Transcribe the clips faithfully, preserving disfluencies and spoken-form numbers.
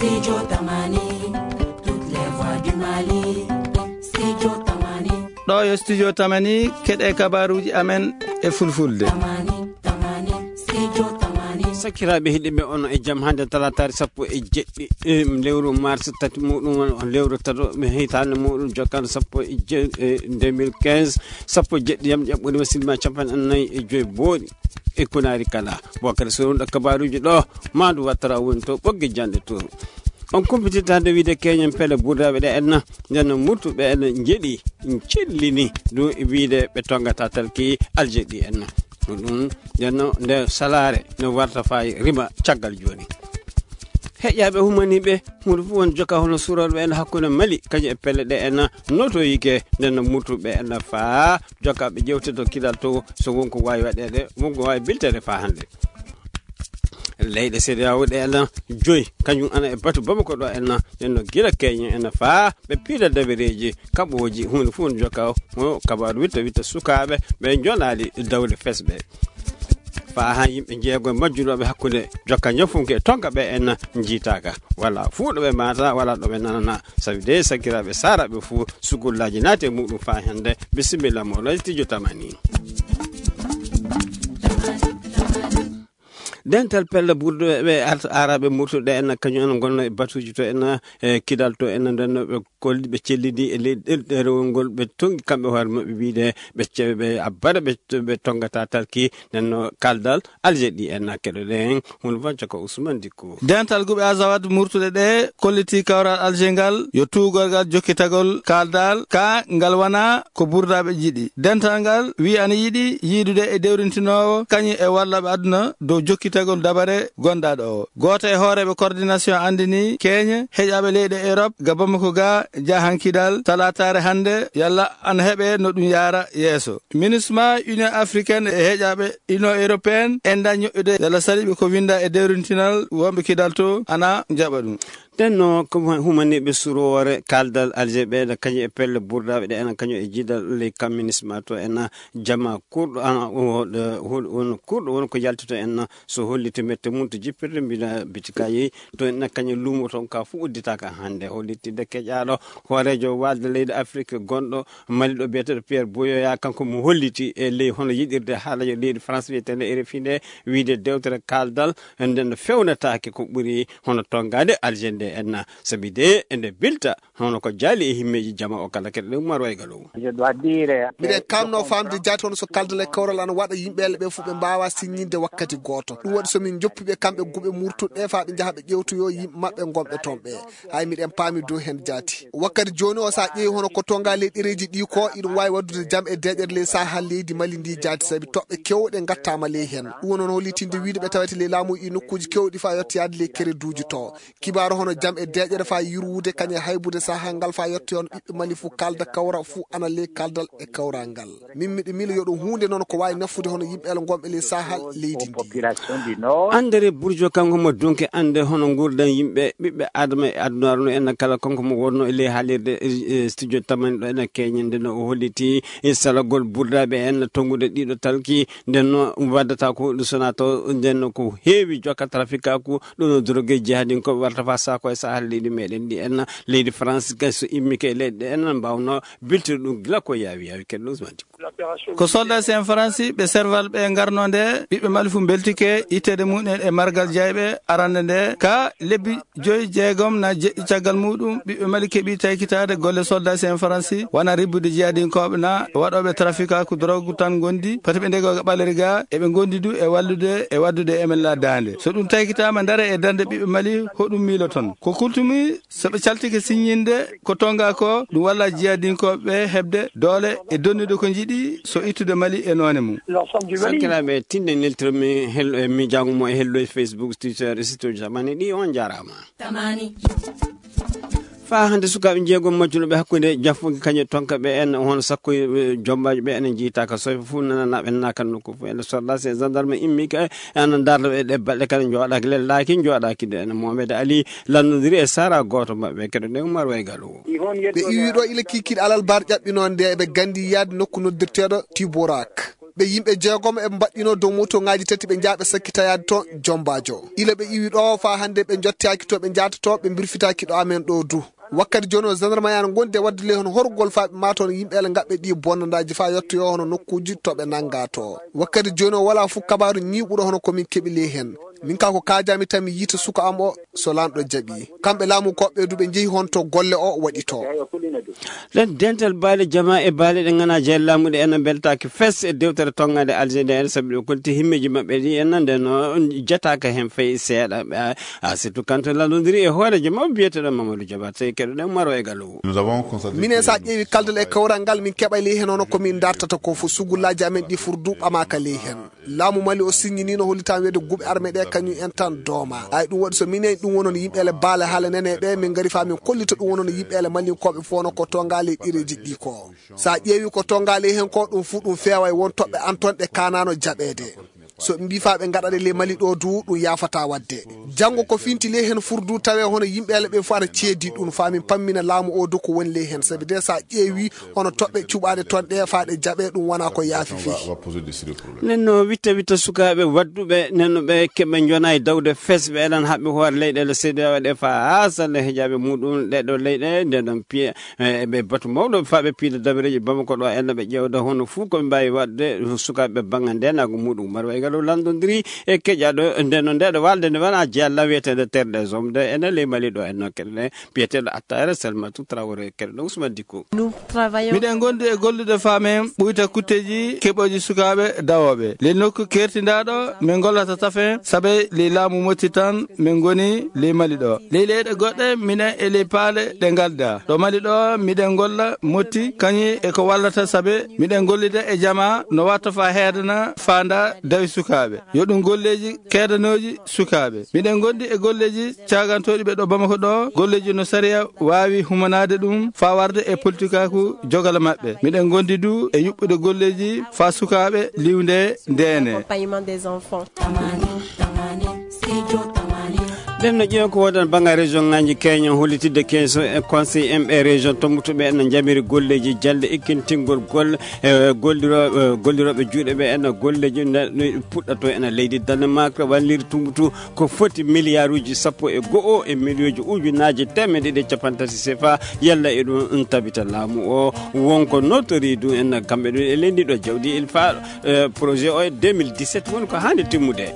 Studio Tamani, toutes les voix du Mali. Studio Tamani. Ɗo yo Studio Tamani, keɗe kabaruji amen e fulfulde. Tamani, Tamani, Studio Tamani. Sakiraaɓe heɗiɓe, on e jam hannde talataare sappo e jeɗɗi, em, lewru mars, tati muɗum on, on lewru tato, mi hitaande muɗum jokkande sappo e je-, e deux mille quinze, sappo e jeɗɗi yam ƴaɓɓude ma sinma capanɗe nayi e joy booɗi. E Kunaari kala. Bokar Sorunda kabaruji ɗo, Madu Watara woni to, ɓoggi jande to. On kumpitirta hannde wiide keñen pele burdaɓe ɗe enna, nden no murtuɓe enna njeɗi, cellini, ɗum e wiide ɓe tongata talki aljeɗi enna. Ko ɗum, nden no nde salaare no warta fayi rima caggal jooni. Heƴaɓe humaniɓe, huɗo fof won joka hono surorɓe enna hakkunde Mali, kañum e pele ɗe enna noto yike, nden no murtuɓe enna faa jokkaaɓe ƴeewte to kidal to, so won ko waawi waɗeede, won ko waawi biltere faa hannde. Leyɗe C D A O ɗe ena joyi, kañum ana e batu Bamako ɗo ena, ena gila keñe ena faa ɓe piila dabereeji kaɓooji, huunde fof ne jokka mo kabaaru witta witta sukaaɓe ɓe njonaali dawde fesɓe. Faa haa yimɓe jeego e majjunooɓe hakkunde jokka ñafunke e tonka ɓe ena njiitaaka. Wala fuu ɗo ɓe maata, wala ɗo ɓe nanana. Sabi de sakiraaɓe saaraaɓe fuu sukullaaji naati e muɗum faa hannde. Bisimilla mo, Layti Jotamani. Dental pelle burduɓe ɓe arta aaraɓe murtuɓe en, kañum en gonno e batuuji to en, e kidal to en, nden no ɓe kolli, ɓe cellidi e leydi ɗerewol ngol, ɓe tongi kamɓe hoore maɓɓe wiide ɓe cewe ɓe abbata ɓe, ɓe tongata talki, nden no kaldal Alger ɗi en keɗoɗen, hun Vanco ko Ousmane Dicko. Dental guɓe Azawad murtuɗe ɗe kolliti kawral Alger ngal yo tuugorgal jokkitagol kaldal ka ngal wana ko burdaɓe jiɗi. Dental ngal wi ana yiɗi yiidude e dewrintinoowo kañum e wallaɓe aduna dow jokkitagol dabare gondaɗo o. Gooto e hooreeɓe coordination andini keñe heƴaɓe leyɗe Europe ga Bamako ga jahankidal talataare hannde yalla ana heɓe no ɗum yaara yeeso. Minusma Union Africaine e heƴaɓe Union Européenne enda ñoƴƴude yalla saliɓe ko winda e dewrintinal wonɓe kidal to ana jaɓa ɗum. Nden no ko humaniɓe suroore kaldal Alger ɓe, kañum e pelle burdaɓe ɗe, ena kañum e jiidal ley communisme to, ena jama kurɗo, ana, o, o, on kurɗo won ko yaltito en, so holliti mette mum to jippirde, mbina bitikayi, to en kañum lumo toon ka fu udditaka hannde. Holliti de keƴaɗo hoorejo walde leydi Afrique gonɗo Mali ɗo biyeteɗo Pierre Buyoya, kanko mo holliti e ley hono yiɗirde haalajo leydi France wiyetende R F I nde, wiide dewtere kaldal nden no fewnataake ko ɓuri hono tongade Alger nde enna, sabi de ende bilta hono ko jaali e himmeeji jama o kala. Keɗoɗen Umar Wayga Low. Je dois dire, miɗen kamno famde jaati hono so kaldal e kawral ana waɗa yimɓe ele ɓe fof ɓe mbawa siññinde wakkati gooto. Ɗum waɗi so min joppiɓe kamɓe guɓe murtuɗe faa ɓe njaha ɓe ƴewtoyo yimɓe maɓɓe gonɓe toon ɓe. Hay miɗen paami dow heen jaati. Wakkati jooni o, so a ƴeewi hono ko tonga ley ɗereeji ɗi ko, iɗum waawi waɗdude jam e deeƴere ley Sahel leydi Mali ndi jaati, sabi toɓɓe keewɗe ngattaama ley heen. Ɗum woni hono hollitinde wiyde ɓe tawete ley laamu e nokkuuji keewɗi faa yettoyaade ley kereduuji to. Kibaaru hono jam e deeƴere faa yurwude kañum e haybude Sahel ngal faa yettoya hono ɓiɓɓe Mali fuu kalda kawra fuu ana ley kaldal e kawral ngal. Min miɗo miila yo ɗum huunde noon ko waawi nafude hono yimɓe ele ngonɓe ley Sahel leydi ndi. Andere Burjo kanko mo dunke ande hono nguurdan yimɓe ɓiɓɓe Adama e adunaaru no en kala kanko mo wonno e ley haalirde, e, e, studio Tamani ɗo ena keñen nde no o holliti e salagol burdaɓe en tongude ɗiɗo talki nden no waddata ko ɗum sona to nden no ko heewi jokka trafikaku ɗum no drogue jihadin ko warta fa sako e Sahel leydi meɗen ɗi en leydi France kay so immi ke leyɗe en mbawno biltir ɗum gila ko yaawi yaawi keɗɗo Ousmane. Ko soldat sen Faransi ɓe serval ɓe ngarno nde ɓiɓɓe Mali fu mbeltike ittede mum en e margal jayɓe arande nde ka lebbi joyi jeegom na jeɗɗi caggal muɗum ɓiɓɓe Mali keɓi taykitade golle soldat sen Faransi wana ribbude jihadinkoɓe na waɗoɓe trafikaku drogue tan gondi pati ɓe ndego ɓaleri ga eɓe gondi du e wallude e waddude M L A dande so ɗum taykitama dare e darde ɓiɓɓe Mali hoɗum miiloton ko kultumi. So ɓe caltike siññinde ko tonga ko, ɗum walla jihadinkooɓe ɓe heɓde doole e donnude ko njiɗi so ittude Mali e noone mum. Sakiraaɓe, tinde neltirmi hel-, e miijaango mo e hello e Facebook, Twitter, e site uji zamani ɗi, on njaaraama. Tamani. Faa hannde sukaaɓe jeegom majjunoɓe hakkunde jaffunge kañum e tonka ɓe en, hono sakko, e, jombaaji ɓe en njiitaaka so fof nananaaɓe naaka nokku fof en. Soldat e gendarme immi ka ana darno e ɗe balɗe kala jooɗaaki lellaaki, jooɗaaki de ene Mohamed Ali lannodiri e sara gooto maɓɓe keɗo nde Umar Waygalu. Ɓe iwi ɗo ila kikiɗe alal bar ƴaɓɓino nde eɓe gandi yaade nokku noddirteɗo Tiborak. Ɓe yimɓe jeegomo eɓe mbaɗɗino dow moto ŋaaji tati ɓe njaaɓe sakkitayaade toon Jombaajo. Ila ɓe iwi ɗo faa hannde ɓe njottiyaaki to ɓe njaata to, ɓe mbirfitaaki ɗo amen ɗo du. Wakkati jooni o gendarme yana gonde wadde ley hono horgol faa ɓe maata hono yimɓe ele ngaɓɓe ɗi bonnandaaji faa yottoyo hono nokkuuji to ɓe nannga to. Wakkati jooni o walaa fof kabaaru ñiiɓuɗo hono ko min keɓi ley heen. Min ka ko kaajami tan mi yiita suka am o so lanɗo jaɓi. Kamɓe laamu koɓɓe du ɓe njehi hon to golle o waɗi to. Ɗen dental baale jama e baale ɗe ngana jeeya laamu ɗe ena mbeltaaki fes e dewtere tongaade Algérie en sabi ɗo konti himmeeji maɓɓe ɗi en nande no jataaka heen fay seeɗa. A, a, surtout quand landondiri e hooreejo mawɓe biyeteɗo Mamadou Diabaté keɗoɗen Maro e Gallo. Nous avons constaté minen sa ƴeewi kaldal e kawral ngal min keɓa ley heen hono ko min dartata ko fof sugullaaji amen ɗi fur du ɓamaaka ley heen. Laamu Mali o signiniino hollitaan wiyde guɓe arme ɗe kañum en tan dooma. Ay ɗum waɗi so minen ɗum wonon yimɓe ele baale haala nene ɓe min ngari faa min kollita ɗum wonon yimɓe ele malinkooɓe fof no ko tongaali e ɗereeji ɗi ko. Sa ƴeewi ko tongaali heen ko ɗum fuu ɗum feewa e won toɓɓe an toon ɗe kaanaano jaɓeede. So ɓe mbii faa ɓe ngaɗa ɗe ley Mali ɗo du ɗum yaafataa waɗde. Janngo ko finti ley heen fur du tawee hono yimɓe ele ɓe fof ana ceedi ɗum faa min pammina laamu o du ko woni ley heen. Sabi de sa ƴeewi hono toɓɓe cuɓaaɗe toon ɗe faa ɗe jaɓee ɗum wonaa ko yaafi fii. Nen no witta witta sukaaɓe waɗduɓe nen no ɓe keɓe njona e dawde fes ɓe elan haɓɓe hoore leyɗeele seedewa ɗe faa haa sande hejaaɓe muɗum ɗeɗo leyɗe nde ɗon piye e ɓe batu mawɗo faa ɓe piida dabareeji Bamako ɗo enna ɓe ƴeewda hono fuu ko ɓe mbaawi waɗde sukaaɓe bannga ndenaagu muɗum Maro e Gallo landondiri e keƴaɗo nde no ndeɗo walde nde wona jeya law wiyeteende terre des hommes de ene ley Mali ɗo enno keɗe biyeteeɗo Attara Salmatou Traoré keɗoɗo Ousmane Dicko. Miɗen ngondi e gollude faamen ɓuyta kutteeji keɓooji sukaaɓe dawooɓe. Ley nokku keertindaaɗo min ngollata tafen sabe ley laamu Motti tan min ngoni ley Mali ɗo. Ley leyɗe goɗɗe minen e ley paale ɗe ngalda. Ɗo Mali ɗo miɗen ngolla Motti kañum e ko wallata sabe miɗen gollida e jama no watta faa heedana faanda dawi sukaaɓe. Yo ɗum golleeji keedanooji sukaaɓe. Miɗen ngondi e golleeji caagantooɗi ɓe ɗo Bamako ɗo, golleeji no sariya waawi humanaade ɗum faa warde e politikaaku jogala maɓɓe. Miɗen ngondi du e yuɓɓude golleeji faa sukaaɓe liwnde ndeene. Ɗen no ƴeew ko wodan banga région ngaji keño hollitidde keñso e conseil M E région tombutuɓe en no jamiri golleeji jande ikkintingol gol e gollirooɓe gollirooɓe juuɗe ɓe en golleeji no puɗɗato en leydi Danemark walliri tumbutu ko foti miliyaaruuji sappo e go'o e miliyooji ujunaaji teemedde ɗiɗi e cappanɗe tati sefa yalla e ɗum tabita laamu o wonko notori ɗum en kamɓe ɗum e leydi ɗo jawdi il fa projet o e deux mille dix-sept woni ko haande timmude.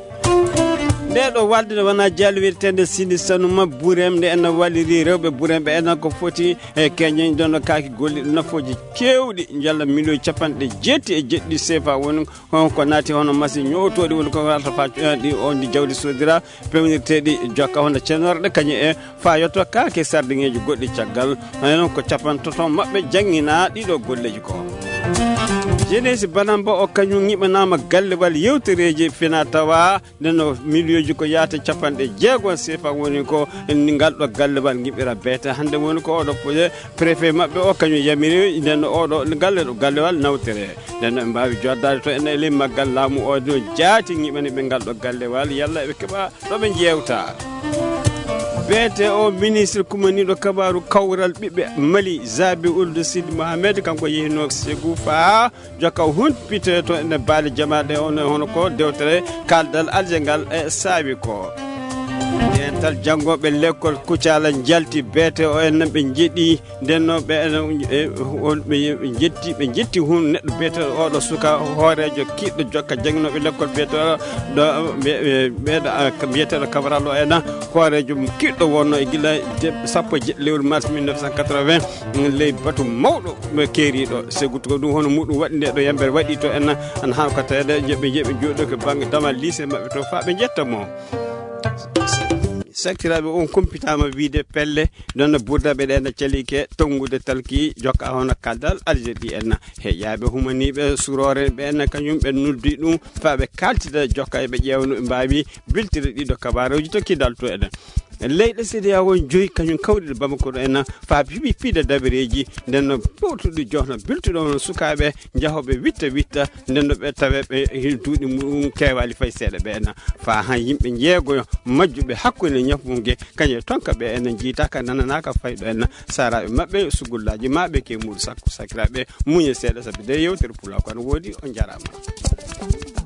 Nde ɗo walde ne wona jaalwirtende sini sanuma burem nde en walliri rewɓe buremɓe en ko foti e keñen ɗon kaaki golli nafooji kewɗi jalla miliyon capanɗe jeetti e jeɗɗi sefa woni on ko naati hono masi ñowtoɗi woni ko warata fa ɗi on di jawdi sodira pewnirteɗi jokka hono cenorɗe kañum e fa yetto kaake sardiŋeeji goɗɗi caggal. Hano noon ko capantato maɓɓe janngina ɗiɗo golleeji ko jenesi banamba o kañum ŋiɓanaama gallewal yewtereeji fina tawa ndenno miliyoji ko yaata capanɗe jeego sefa woni ko ngal ɗo gallewal ŋiɓira beete hannde woni ko oɗo projet préfet maɓɓe o kañum yamiri ndenno oɗo galle ɗo gallewal nawtere ndenno ɓe mbawi joddade to ene e ley maggal laamu o no jaati ŋiɓani ɓe ngal ɗo gallewal yalla ɓe keɓa ɗo ɓe jeewta. Beete o ministre kumaniiɗo kabaaru kawral ɓiɓɓe Mali Zabi Ould Sidi Mohamed kanko yehinoo Ségou faa jokka humpite to ene baali jamaaɗe on hono ko dewtere kaldal alje ngal e saawi ko dental janngooɓe lekkol Kucala njalti beete o en ɓe njeɗi ndenno ɓe ɓe jetti ɓe jetti hun neɗɗo biyeteɗo oɗo suka hoorejo kiɗɗo jokka janginoɓe lekkol biyeteɗo ɗo ɓeɗo biyeteɗo Cabral o ena hoorejo kiɗɗo wonno e gila sappo e jeɗɗi lewru mars mille neuf cent quatre-vingts ley batu mawɗo keeriɗo Ségou ko ɗum hono muɗum waɗi nde ɗo yambere waɗi to ena ana han ko tawede jeɓe jeɓe joɗo ko banggue damal lycée mabɓe to fa ɓe jetta mo sakkiraɓe on kumpitama wiide pelle ɗon no burdaɓe ɗen no calike tonngude talki jokka hono kaldal algérie en heƴaɓe humaniɓe surore ɓen kañum ɓe noddi ɗum fa ɓe kaltida jokka ɓe ƴewno ɓe mbawi biltire ɗiɗo kabaruji tokki dalto eɗen Leyɗe C D A O joyi kañum kawriɗe Bamako ɗo en, faa piɓi piɗe dabareeji, nden no powtuɗo jono biltuɗo on sukaaɓe jahooɓe witta witta, nden no ɓe tawe ɓe duuɗi muɗum keewaali fay seeɗa ɓe en. Faa han yimɓe jeegoyo majjuɓe hakkunde ñafunge, kañum e tonka ɓe en jiitaaka nananaaka fay ɗo en. Saaraaɓe maɓɓe, sugullaaji maɓɓe, ke muɗum sakko sakiraaɓe, muñe seeɗa sabi de yewtere Pulaaku ana woodi, on jaraama.